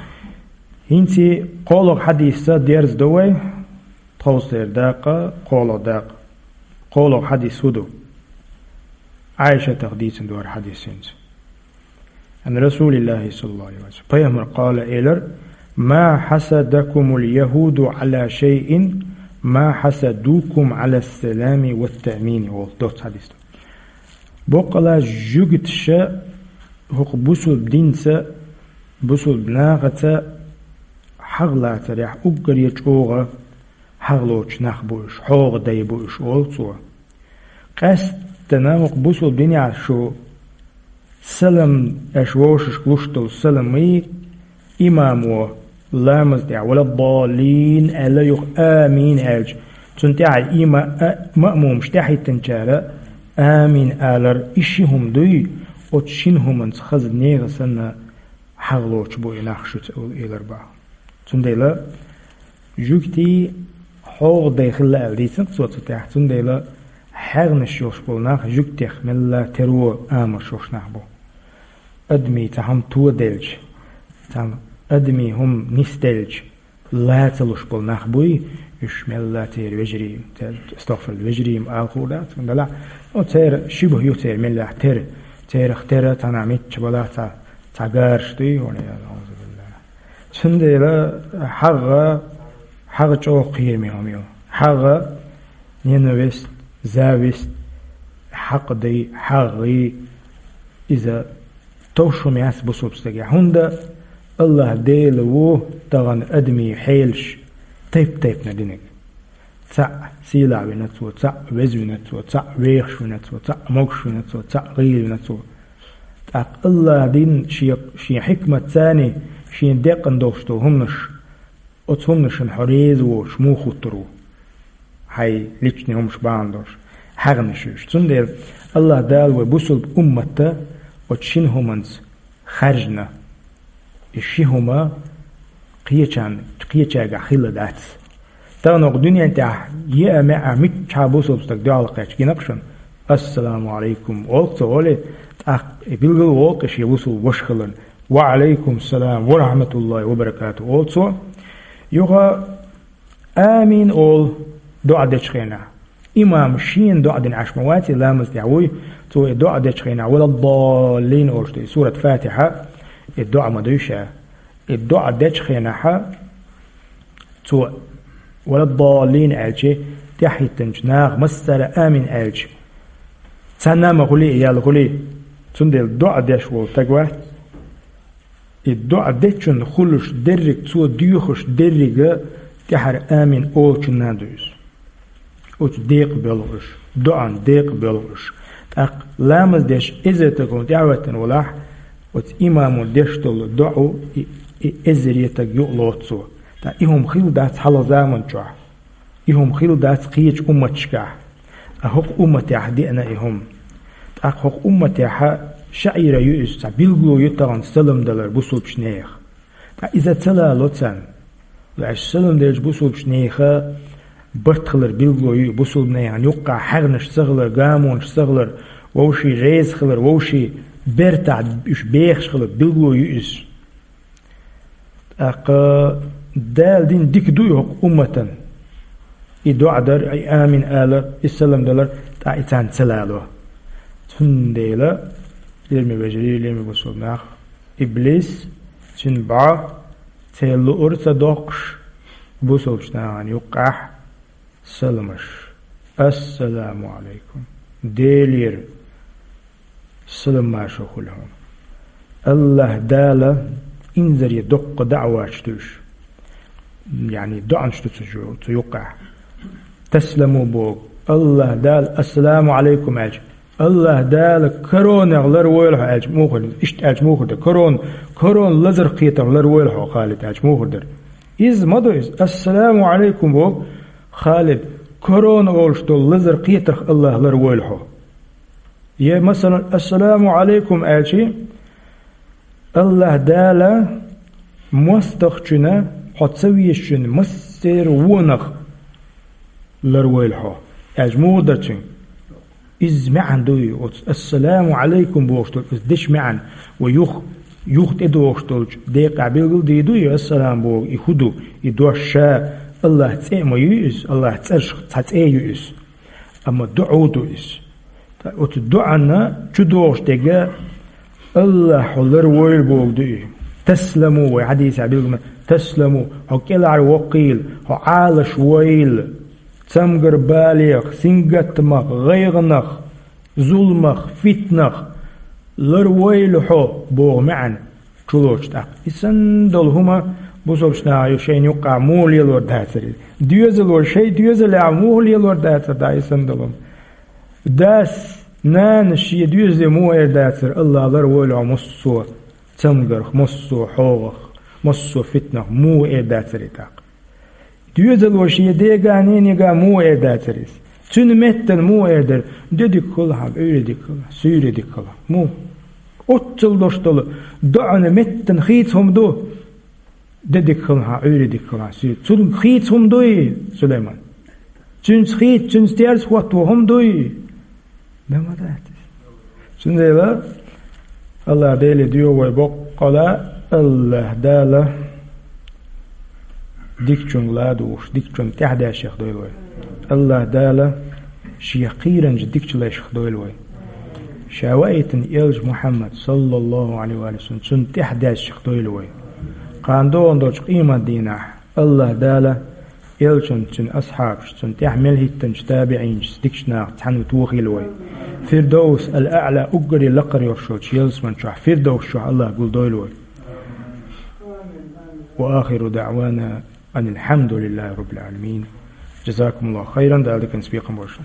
ХӀинца кхоалгӀа хьадисца дерзадо вай, тховсалера дакъа, кхоалгӀа дакъа. КхоалгӀа хьадис хӀун ду? Ӏайшатах дийцина ду хӀара хьадис хӀинца. Ан РасулиллахӀи саллаллахӀу Ӏалайхи ва саллам. Пайхамар къала элира: «Ма хьасадакумул яхӀуду Ӏала шайъин, ма хьасадукум Ӏала салами ва таъмини», олу доцца хьадис ду. Боккъала жуьгташа хӀокху бусулба динца, бусулба нахаца хьагӀ лацарехь уггаре чӀогӀа хьагӀ лоцуш нах бу уьш, хьогӀа дай бу уьш, олу цо. Къаьсттина хӀокху бусулба динехь шу салам, аша вовшашка луш долу саламий, имамо ламаз тӀехь «валаддаллин» аьлла, юха «амин» аьлча, цунна тӀаьхьа има-, а-, маъмумаш тӀаьхьахӀиттинчара «амин» алар, и ши хӀума дуй, оцу шина хӀуманца хаза нехан санна хьагӀ лоцуш бу и нах шуьца, олу элар бах. Цундела жуьгтий хьогӀа дай хилла аьлла дийцина цо цу тӀехь, цундела хьагӀнаш йолуш болу нах жуьгтех мелла тера амалш йолуш нах бу. Адамийн цхьа хӀума тоделча, цхьа адамийн хӀума нисделча, ла ца луш болу нах буй, уьш мелла церан вежарий, церан, астагӀфируллахӀ, вежарий ала хуур дац, цундела, ну, церан шибхӀ ю церан меллехь тера, церах тера цхьана мичча балахь цхьа, цхьа гараш дуй, валла, аузубиллахӀ. Цундела хьагӀ, хьагӀ чӀогӀа кхераме хӀума ю. ХьагӀ, ненависть, зависть, хьакъдий, хьагӀий, иза товш хӀума яц бусулба стагехь. ХӀунда АллахӀ Дела ву тахана адамийн хьелаш тайп-тайпана динарг. Цхьаъ сийлахь вина цо, цхьаъ веза вина цо, цхьаъ вехаш вина цо, цхьаъ могуш вина цо, цхьаъ гӀийла вина цо. ТӀаккха АллахӀа дина шен, шен хьикматаца, шен декъана долуш долу хӀуманаш, оцу хӀуманашна хьо реза воцуш муха хӀуттур ву? Хьайн личный хӀуманаш бахьана долуш хьагӀнаш ю уьш. Цундела АллахӀа Дала вай бусулба уммат оцу шина хӀуманца хаьржина. И ши хӀума кхечарна, кхечаьргахь хилла дац. Тахана оха дуьнен тӀехь еа-маьӀӀа миччахьа бусулба стаг дуьхьал кхаьчча гина-кх шуна: «Ассаламу Ӏалайкум», олу цо, олий, тӀаккха и билгал а волу-кх шен бусулба ваша хиларна: «Ва Ӏалайкум салам ва рахьматуллахӀи ва баракатухӀ», олу цо. Юха «Амин» олу доӀа дечу хенахь. Имам шена доӀа дина Ӏаш ма вац, и ламаз тӀехь вуй, цо и доӀа дечу хенахь, «Валаддаллин» олуш ду, и сурат Фатихьа, и доӀа ма дуй ша. И доӀа дечу хенахьа, цо «Валаддаллин» аьлча, тӀаьхьахӀиттинчу наха массара «Амин» аьлча, цхьанна а ма хуьлий, ял хуьлий. Цундела доӀа деш волу стаг вац. И доӀа дечунна хуьлуш дерриг, цо доьхуш деррига тӀаьхьара «Амин» олучунна а ду иза. Оцу декъа боьлху уьш, доӀан декъа боьлху уьш. ТӀаккха ламаз деш эзар стаг хӀума тӀаьхьахӀоьттина валахь, оцу имамо деш долу доӀа и, и эзаре стаг юкълоцу цо. Ткъа и хӀума хилла дац хьалха заман чохь. И хӀума хилла дац кхечу умматашкахь. Ткъа хӀокху умматехь деана и хӀума. ТӀаккха хӀокху умматехьа шаӀира ю иза, цхьа билгало ю тахана салам далар бусулбачу нехан. Ткъа иза ца лало царна. Ваьш салам делча бусулбачу нехан барт хилар билгало ю, бусулба нехан юккъахь хьагӀнаш ца хилар, гамонаш ца хилар, вовшийн реза хилар, вовшийн бертахь уьш бехаш хилар билгало ю иза. ТӀаккха Дала дина дика ду и хӀокху умматан. И доӀа дар, и амин алар, и салам далар, ткъа и царна ца лало. Цундела, лераме вежарий, лераме бусулба нах, иблис, цуьнан бӀо, церан луъур ца доккхуш, бусулбачу нахана юккъахь саламаш. Ассаламу Ӏалайкум. Делера салам-маршо хуьлу хьуна. АллахӀ Дала инзаре доккха даӀваташ ду уьш. Яъни доӀанаш ду цу, цу юккъехь. Тасламу боху. АллахӀ Дала ассаламу Ӏалайкум аьлча, АллахӀ Дала коронех ларвойла хьо аьлча муха хир дара? Иштта аьлча муха хир дара? Корона, корона лазар кхетарх ларвойла хьо, Халид, аьлча муха хир дара? Иза ма ду иза. Ассаламу Ӏалайкум боху, Халид, корона олуш долу лазар кхетарх АллахӀ ларвойла хьо. Я, масалан, ассаламу Ӏалайкум аьлча, АллахӀ Дала мостагӀчунна, хьо ца везачунна, массеран вонах ларвойла хьо, аьлча муха дара цуьнга? Иза маьӀна дуй оцу ассаламу Ӏалайкум бохуш долу иза дечу маьӀна, ва юха, юха тӀедогӀуш долчу декъехь билгал дийр ду и ассалам боху, и хӀун ду, и дош ша АллахӀ цӀе а ма ю иза, АллахӀ цӀерах цхьа цӀе ю иза. Амма доӀа ду иза. Ткъа оцу доӀанна чу догӀуш дерг АллахӀ хьо ларвойла боху ду и. Тасламу, вай хьадисехь билгал ма, тасламу, хьо кӀелхьарвоккхийла, хьо Ӏалашвойла, цамгар балех, сингаттамах, гӀайгӀанах, зуламах, фитнах ларвойла хьо боху маьӀна чулоцуш тӀаккха. И санна долу хӀума бусалбачу наха ю шайна юккъахь муха лелор дацара иза? Доьзало шайн доьзалехь муха лелор дацара дӀа и санна долу хӀума? Дас, нанас шен доьзале муха эр дацара: «АллахӀ ларвойла хьо массо а цамгарх, массо а хьогӀах, массо а фитнах», муха эр дацара и тӀаккха? Доьзало шен дега, ненега муха эр дацара иза? Цуьнан меттана муха эр дара: «Де дика хуьлу хьан, Ӏуьйре дика хуьлу, суьйре дика хуьлу»? Муха? Оццул долуш долу доӀана меттана хийца хӀума ду: «Де дика хуьлу хьан, Ӏуьйре дика хуьлу хьан, суьйре». Цунна хийца хӀума дуй, Сулайман? Цуьнца хийца, цуьнца терса хӀотто хӀума дуй? Дан ма дац иза. Цундела АллахӀ Деле доьху вай боккъала, АллахӀ Дала дикачуьнга ладугӀуш, дикачунна тӀаьхьадаьшшех дойла вай. АллахӀ Дала Шех кхийринчу дикачу лайшех дойла вай. Ша ваийтина элча Мухьаммад, саллаллахӀу Ӏалайхи ва саллам, цунна тӀаьхьадаьшшех дойла вай. Кхана догӀун долчу къематдийнахь АллахӀ Дала элчанца, цуьнан асхьабашца, цунна тӀаьхьа мел хӀиттинчу табиӀинашца, дикачу нахаца цхьаьна тохийла вай. Фирдовс ал-АӀла, уггаре лакхара йолуш йолчу ялсаман чохь, Фирдовс чохь АллахӀ гулдойла вай. Ва ахиру даӀвана анил хьамдулиллахӀи раббил Ӏаламин. Жазакумуллаху хайран, Дала диканца бекхам бойла шун.